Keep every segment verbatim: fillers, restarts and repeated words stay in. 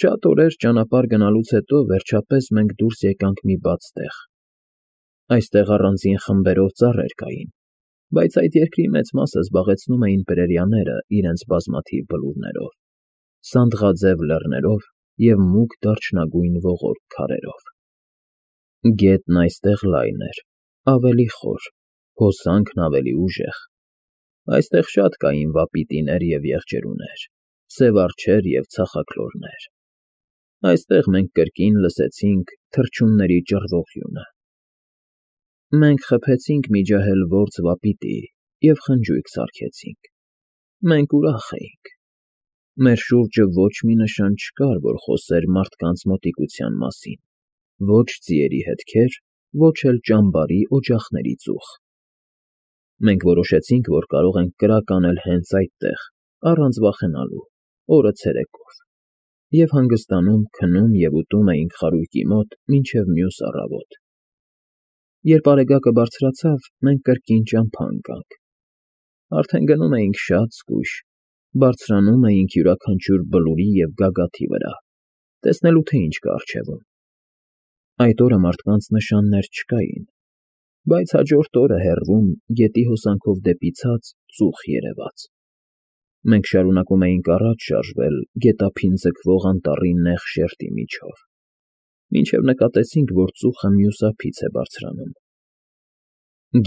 Շատ օրեր ճանապարհ գնալուց հետո վերջապես մենք դուրս եկանք մի բաց տեղ. այստեղ առանձին խմբերով ծառեր կային, բայց այդ երկրի մեծ մասը զբաղեցնում էին պրերիաները իրենց բազմաթիվ բլուրներով, սանդղաձև լեռներով և մուգ դարչնագույն ողորկ քարերով։ Գետն այստեղ լայն էր, ավելի խոր, հոսանքն ավելի ուժեղ։ Այստեղ շատ կային վապիտիներ և եղջերուներ, սև արջեր և ցախաքլորներ։ Այստեղ մենք կրկին լսեցինք թռչունների ճռվող հյունը։ Մենք խփեցինք մի ջահել որձ վապիտի և խնջույք սարքեցինք։ Մենք ուրախ էինք։ Մեր շուրջը ոչ մի նշան չկար, որ խոսեր մարդկանց մոտիկության մասին, ոչ ձիերի հետքեր, ոչ էլ ճամբարի օջախների ծուխ։ Մենք որոշեցինք, որ կարող ենք կրակ անել հենց այդտեղ, առանց վախենալու, օրը ցերեկով, և հանգստանում, քնում և ուտում էինք խարույկի մոտ մինչև մյուս առավոտ։ Երբ արեգակը բարձրացավ, մենք կրկին ճամփա ընկանք։ Արդեն գնում էինք շատ զգույշ, բարձրանում էինք յուրաքանչյուր բլուրի և գագաթի վրա, տեսնելու, թե ինչ կա առջևում։ Այդ օրը մարդկանց նշաններ չկային, բայց հաջորդ օրը հեռվում, գետի հոսանքով դեպի ցած, ծուխ երևաց։ Մենք շարունակում էինք առաջ շարժվել գետափին ձգվող անտառի նեղ շերտի միջով, մինչև նկատեցինք, որ ծուխը մյուս ափից է բարձրանում։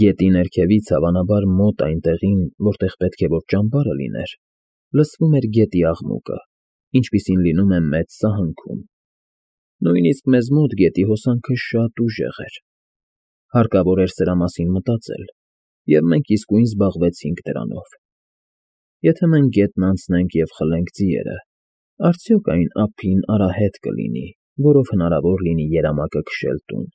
Գետի ներքևից, հավանաբար մոտ այն տեղին, որտեղ պետք է որ ճամբարը լիներ, լսվում էր գետի աղմուկը, ինչպիսին լինում է մեծ սահանքում։ Նույնիսկ մեզ մոտ գետի հոսանքը շատ ուժեղ էր։ Հարկավոր էր սրա մասին մտածել, և մենք իսկույն զբաղվեցինք դրանով։ Եթե մենք գետն անցնենք և խլենք ձիերը, արդյոք այն ափին արահետ կլինի, որով հնարավոր լինի երամակը քշել տուն։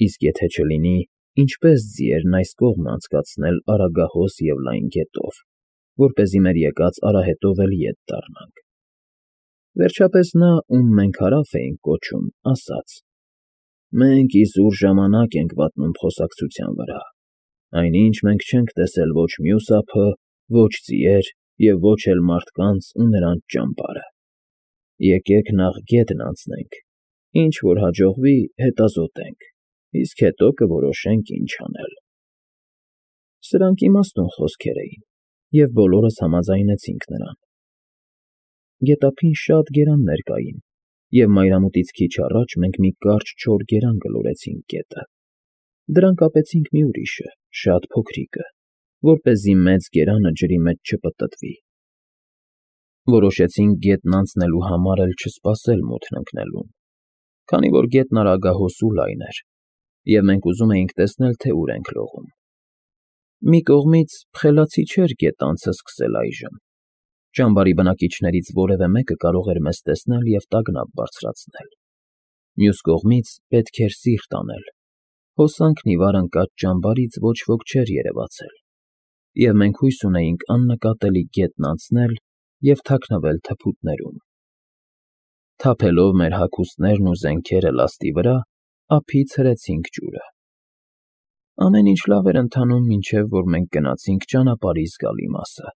Իսկ եթե չլինի, ինչպե՞ս ձիերն այս կողմն անցկացնել Արագահոս և լայն գետով, որպեսզի մեր եկած արահետով էլ ետ դառնանք։ Վերջապես նա, ում մենք հարավ էինք կոչում, ասաց. «Մենք իզուր ժամանակ ենք վատնում խոսակցության վրա, այնինչ մենք չենք տեսել ոչ մյուս ափը, ոչ ձիեր և ոչ էլ մարդկանց ու նրանց ճամբարը։ Եկեք նախ գետն անցնենք, ինչ որ հաջողվի, հետազոտենք, իսկ հետո կորոշենք ինչ անել»։ Սրանք իմաստուն խոսքեր էին, և բոլորս համաձայնեցինք նրան։ Գետափին շատ գերաններ կային, և մայրամուտից քիչ առաջ մենք մի կարճ չոր գերան գլորեցինք գետը։ Դրան կապեցինք մի ուրիշը, շատ փոքրիկը, որպեսզի մեծ գերանը ջրի մեջ չպտտվի։ Որոշեցինք գետն անցնելու համար էլ չսպասել մութն ընկնելուն, քանի որ գետն արագահոս ու լայն էր, և մենք ուզում էինք տեսնել, թե ուր ենք լողում։ Մի կողմից խելացի չէր գետ անցը սկսել այժմ։ Ճամբարի բնակիչներից որևէ մեկը կարող էր մեզ տեսնել և տագնապ բարձրացնել։ Մյուս կողմից պետք էր սիրտ անել։ Հոսանքն ի վար ընկած ճամբարից ոչ ոք չէր երևացել, և մենք հույս ունեինք աննկատելի գետն անցնել և թաքնվել թփուտներում։ Թափելով մեր հագուստներն ու զենքերը լաստի վրա, ափից հրեցինք ջուրը։ Ամեն ինչ լավ էր ընթանում, մինչև որ մենք գնացինք ճանապարհի զգալի մասը։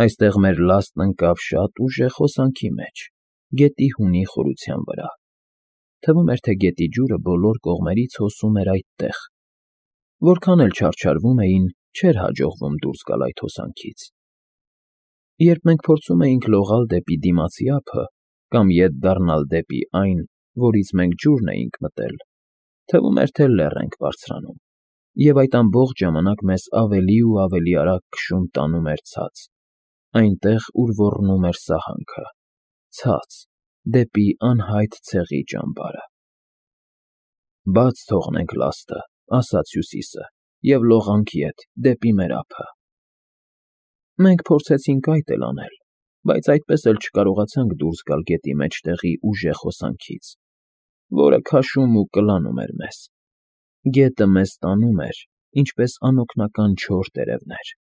Այստեղ մեր լաստն ընկավ շատ ուժեղ հոսանքի մեջ, գետի հունի խորության վրա։ Թվում էր, թե գետի ջուրը բոլոր կողմերից հոսում էր այդտեղ։ Որքան էլ չարչարվում էին, չէր հաջողվում դուրս գալ այդ հոսանքից։ Երբ մենք փորձում էինք լողալ դեպի դիմացի ափը կամ ետ դառնալ դեպի այն, որից մենք ջուրն էինք մտել, թվում էր, թե լեռ ենք բարձրանում, և այդ ամբողջ ժամանակ մեզ ավելի ու ավելի արագ քշում տանում էր ցած, այնտեղ, ուր ոռնում էր սահանքը, ցած, դեպի անհայտ ցեղի ճամբարը։ «Բաց թողնենք լաստը,֊ ասաց Հյուսիսը,֊ և լողանք ետ, դեպի մեր ափը»։ Մենք փորձեցինք այդ էլ անել, բայց այդպես էլ չկարողացանք դուրս գալ գետի մեջտեղի ուժեղ հոսանքից, որը քաշում ու կլանում էր մեզ։ Գետը մեզ տանում էր, ինչպես անօգնական չոր տերևներ։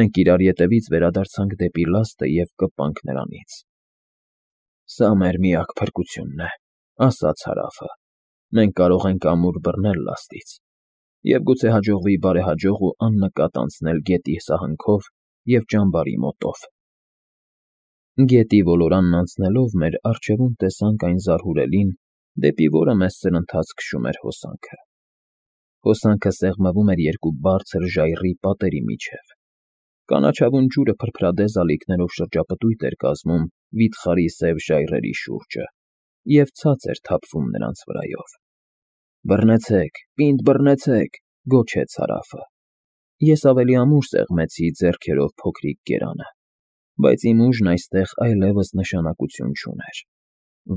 Մենք իրար ետևից վերադարձանք դեպի լաստը և կպանք նրանից։ «Սա մեր միակ փրկությունն է,֊ ասաց Հարավը,֊ մենք կարող ենք ամուր բռնել լաստից, և գուցե հաջողվի բարեհաջող ու աննկատ անցնել գետի սահանքով և ճամբարի մոտով»։ Գետի ոլորանն անցնելով մեր առջևում տեսանք այն զարհուրելին, դեպի որը մեզ սրընթաց քշում էր հոսանքը։ Հոսանքը սեղմվում էր երկու բարձր ժայռի պատերի միջև։ Կանաչավուն ջուրը փրփրադեզ ալիքներով շրջապտույտ էր կազմում վիթխարի սև ժայռերի շուրջը և ցած էր թափվում նրանց վրայով։ «Բռնեցեք, պինդ բռնեցեք», գոչեց Հարավը։ Ես ավելի ամուր սեղմեցի ձեռքերով փոքրիկ կերանը, բայց իմ ուժն այստեղ այլևս նշանակություն չուներ։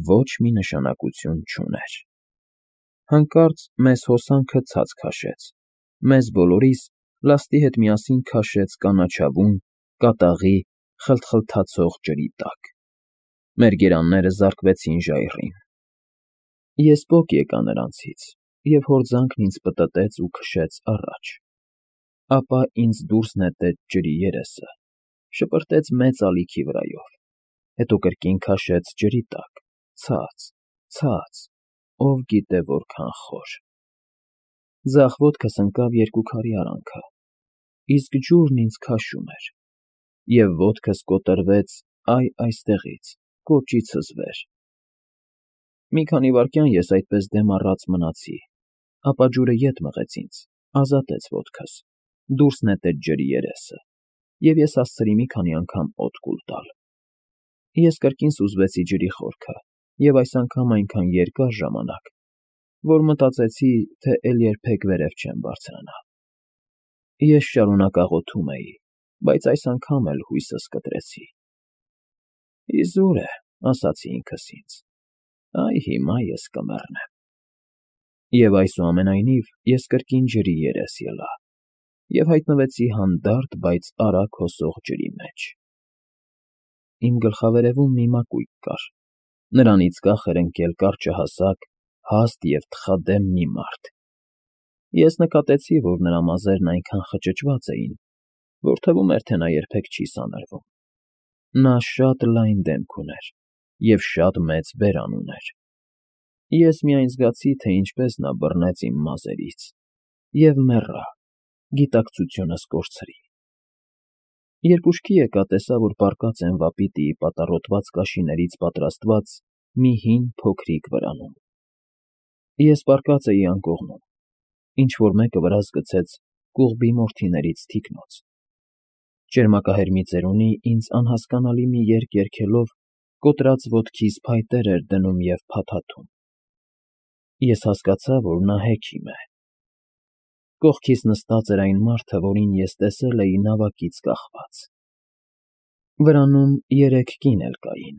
Ոչ մի նշանակություն չուներ։ Հանկարծ մեզ հոսանքը ցած քաշեց, մեզ բոլորիս լաստի հետ միասին քաշեց կանաչավուն, կատաղի, խլթխլթացող ջրի տակ։ Մեր գերանները զարկվեցին ժայռին։ Ես պոկ եկա նրանցից, և հորձանքն ինձ պտտեց ու քշեց առաջ։ Ապա ինձ դուրս նետեց ջրի երեսը, շպրտեց մեծ ալիքի վրայով, հետո կրկին քաշեց ջրի տակ, ցած, ցած, ով գիտե որքան խոր։ Ձախ ոտքս ընկավ երկու քարի արանքը, իսկ ջուրն ինձ քաշում էր, և ոտքս կոտրվեց այ այստեղից, կոճիցս վեր։ Մի քանի վայրկյան ես այդպես դեմ առած մնացի, ապա ջուրը ետ մղեց ինձ, ազատեց ոտքս, դուրս նետեց ջրի երեսը, և ես հասցրի մի քանի անգամ օդ կուլ տալ։ Ես կրկին սուզվեցի ջրի խորքը և այս անգամ այնքան երկար ժամանակ, որ մտածեցի, թե էլ երբեք վերև չեմ բարձրանա։ Ես շարունակ աղոթում էի, բայց այս անգամ էլ հույսս կտրեցի։ «Իզուր է», ասացի ինքս ինձ, «այ հիմա ես կմեռնեմ»։ Եվ այսուամենայնիվ ես կրկին ջրի երես ելա և հայտնվեցի հանդարտ, բայց արագ հոսող ջրի մեջ։ Իմ գլխավերևում մի մակույկ կար, նրանից կախ էր ընկել կարճահասակ, հաստ և թխադեմ մի մարդ։ Ես նկատեցի, որ նրա մազերն այնքան խճճված էին, որ թվում էր, թե նա երբեք չի սանրվում։ Նա շատ լայն դեմք ուներ և շատ մեծ բերան ուներ։ Ես միայն զգացի, թե ինչպես նա բռնեց իմ մազերից և մեռա, գիտակցությունս կորցրի։ Երբ ուշքի եկա, տեսա, որ պառկած եմ վապիտիի պատառոտված կաշիներից պատրաստված մի հին, փոքրիկ վրանում։ Ես պառկած էի անկողնում, ինչ֊որ մեկը վրաս գցեց կուղբի մորթիներից թիկնոց։ Ճերմակահեր մի ծերունի ինձ անհասկանալի մի երգ երգելով կոտրած ոտքիս փայտեր էր դնում և փաթաթում։ Ես հասկացա, որ նա հեքիմ է։ Կողքիս նստած էր այն մարդը, որին ես տեսել էի նավակից կախված։ Վրանում երեք կին էլ կային։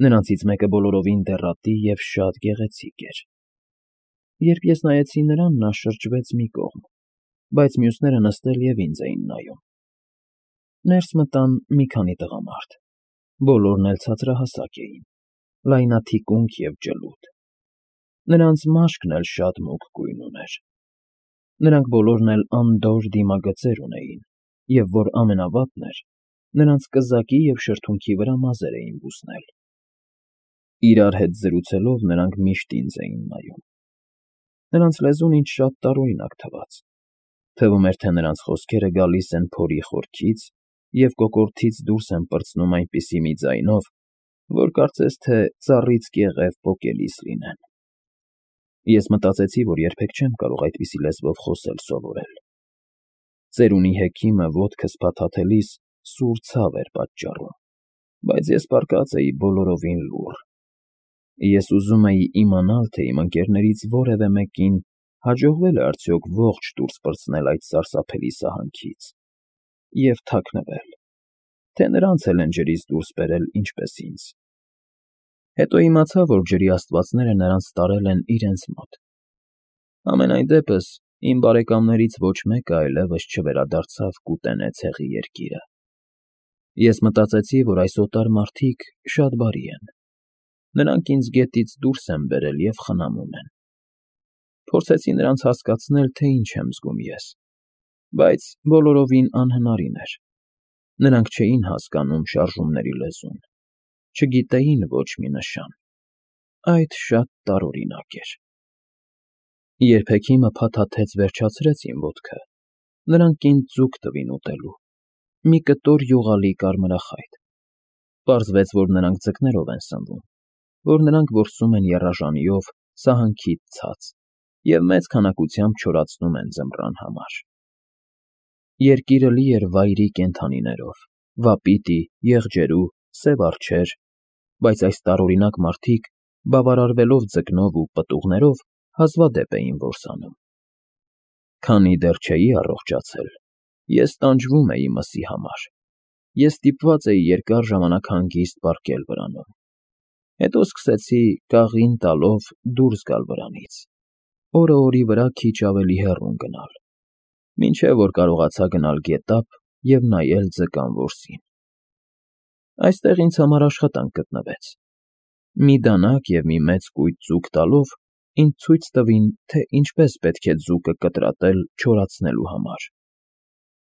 Նրանցից մեկը բոլորովին դեռատի և շատ գեղեցիկ էր։ Երբ ես նայեցի նրան, նա շրջվեց մի կողմ, բայց մյուսները նստել և ինձ էին նայում։ Ներս մտան մի քանի տղամարդ, բոլորն էլ ցածրահասակ էին, լայնաթիկունք և ջլուդ։ Նրանց մաշկն էլ շատ մուգ գույն ուներ։ Նրանք բոլորն էլ անդորր դիմագծեր ունեին, և որ ամենավատն էր, նրանց կզակի և շրթունքի վրա մազեր էին բուսնել։ Իրար հետ զրուցելով նրանք միշտ ինձ էին նայում։ Նրանց լեզուն ինձ շատ տարօրինակ թվաց։ Թվում էր, թե նրանց խոսքերը գալիս են փորի խորքից և կոկորդից դուրս են պրծնում այնպիսի մի ձայնով, որ կարծես թե ծառից կեղև պոկելիս լինեն։ Ես մտածեցի, որ երբեք չեմ կարող այդպիսի լեզվով խոսել սովորել։ Ծերունի հեքիմը ոտքս փաթաթելիս սուր ցավ էր պատճառում, բայց ես պառկած էի բոլորովին լուռ։ Ես ուզում էի իմանալ, թե իմ ընկերներից որևէ մեկին հաջողվե՞լ է արդյոք ողջ դուրս պրծնել այդ սարսափելի սահանքից և թաքնվել, թե նրանց էլ են ջրից դուրս բերել ինչպես ինձ։ Հետո իմացա, որ ջրի աստվածները նրանց տարել են իրենց մոտ։ Համենայն դեպս, իմ բարեկամներից ոչ մեկը այլևս չվերադարձավ կուտենե ցեղի երկիրը։ Ես մտածեցի, որ այս օտար մարդիկ շատ բարի են։ Նրանք ինձ գետից դուրս են բերել և խնամում են։ Փորձեցի նրանց հասկացնել, թե ինչ եմ զգում ես, բայց բոլորովին անհնարին էր։ Նրանք չէին հասկանում շարժումների լեզուն, չգիտեին ոչ մի նշան։ Այդ շատ տարօրինակ էր։ Երբ հեքիմը փաթաթեց վերջացրեց իմ ոտքը, նրանք ինձ ձուկ տվին ուտելու, մի կտոր յուղալի կարմրախայտ։ Պարզվեց, որ նրանք ձկներով են սնվում, որ նրանք որսում են եռաժանիով սահանքից ցած և մեծ քանակությամբ չորացնում են ձմռան համար։ Երկիրը լի էր վայրի կենդանիներով՝ վապիտի, եղջերու, սև արջեր, բայց այս տարօրինակ մարդիկ, բավարարվելով ձկնով ու պտուղներով, հազվադեպ էին որսանում։ Քանի դեռ չէի առողջացել, ես տանջվում էի մսի համար, ես ստիպված էի երկար ժամանակ հանգիստ պառկել վրանում, հետո սկսեցի կաղին տալով դուրս գալ վրանից, օրը օրի վրա քիչ ավելի հեռուն գնալ, մինչև որ կարողացա գնալ գետափ և նայել ձկան որսին։ Այստեղ ինձ համար աշխատանք գտնվեց։ Մի դանակ և մի մեծ կույտ ձուկ տալով ինձ ցույց տվին, թե ինչպես պետք է ձուկը կտրատել չորացնելու համար։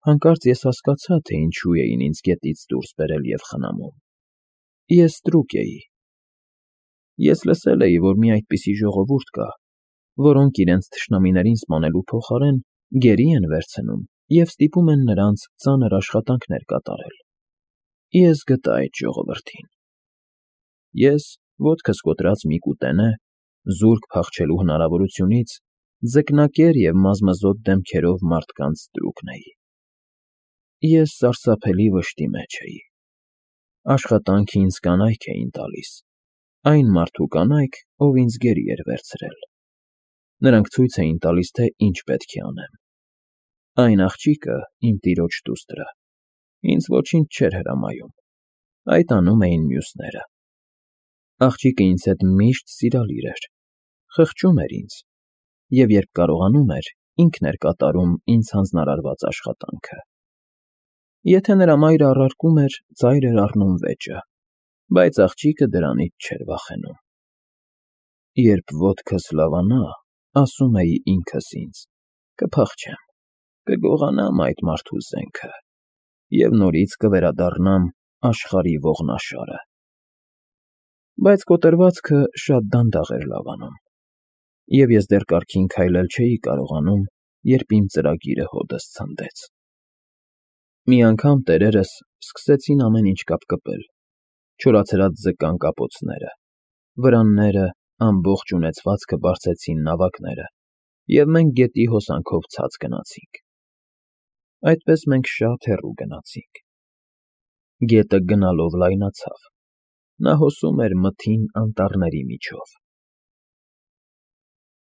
Հանկարծ ես հասկացա, թե ինչու էին ինձ գետից դուրս բերել և խնամում։ Ես ստրուկ էի։ Ես լսել էի, որ մի այդպիսի ժողովուրդ կա, որոնք իրենց թշնամիներին սպանելու փոխարեն գերի են վերցնում և ստիպում են նրանց ծանր աշխատանքներ կատարել։ Ես գտա այդ ժողովրդին։ Ես, ոտքս կոտրած մի կուտենե, զուրկ փախչելու հնարավորությունից, ձկնակեր և մազմզոտ դեմքերով մարդկանց ստրուկն էի։ Ես սարսափելի վշտի մեջ էի։ Աշխատանքը ինձ կանայք էին տալիս, այն մարդու կանայք, ով ինձ գերի էր վերցրել։ Նրանք ցույց էին տալիս, թե ինչ պետք է անեմ։ Այն աղջիկը, իմ տիրոջ դուստրը, ինձ ոչինչ չէր հրամայում, այդ անում էին մյուսները։ Աղջիկը ինձ հետ միշտ սիրալիր էր, խղճում էր ինձ, և երբ կարողանում էր, ինքն էր կատարում ինձ հանձնարարված աշխատանքը։ Եթե նրա մայրը առարկում էր, ծայր էր առնում վեճը, բայց աղջիկը դրանից չէր վախենում։ Երբ ոտքս լավանա, ասում էի ինքս ինձ. կփախչեմ, կգողանամ այդ մարդու զենքը և նորից կվերադառնամ աշխարհի ողնաշարը։ Բայց կոտրվածքը շատ դանդաղ էր լավանում, և ես դեռ կարգին քայլել չէի կարողանում, երբ իմ ծրագիրը հօդս ցնդեց։ Մի անգամ տերերս սկսեցին ամեն ինչ կապկպել, չորացրած ձկան կապոցները, վրանները, ամբողջ ունեցվածքը բարձեցին նավակները, և մենք գետի հոսանքով ցած գնացինք։ Այդպես մենք շատ հեռու գնացինք։ Գետը գնալով լայնացավ, նա հոսում էր մթին անտառների միջով։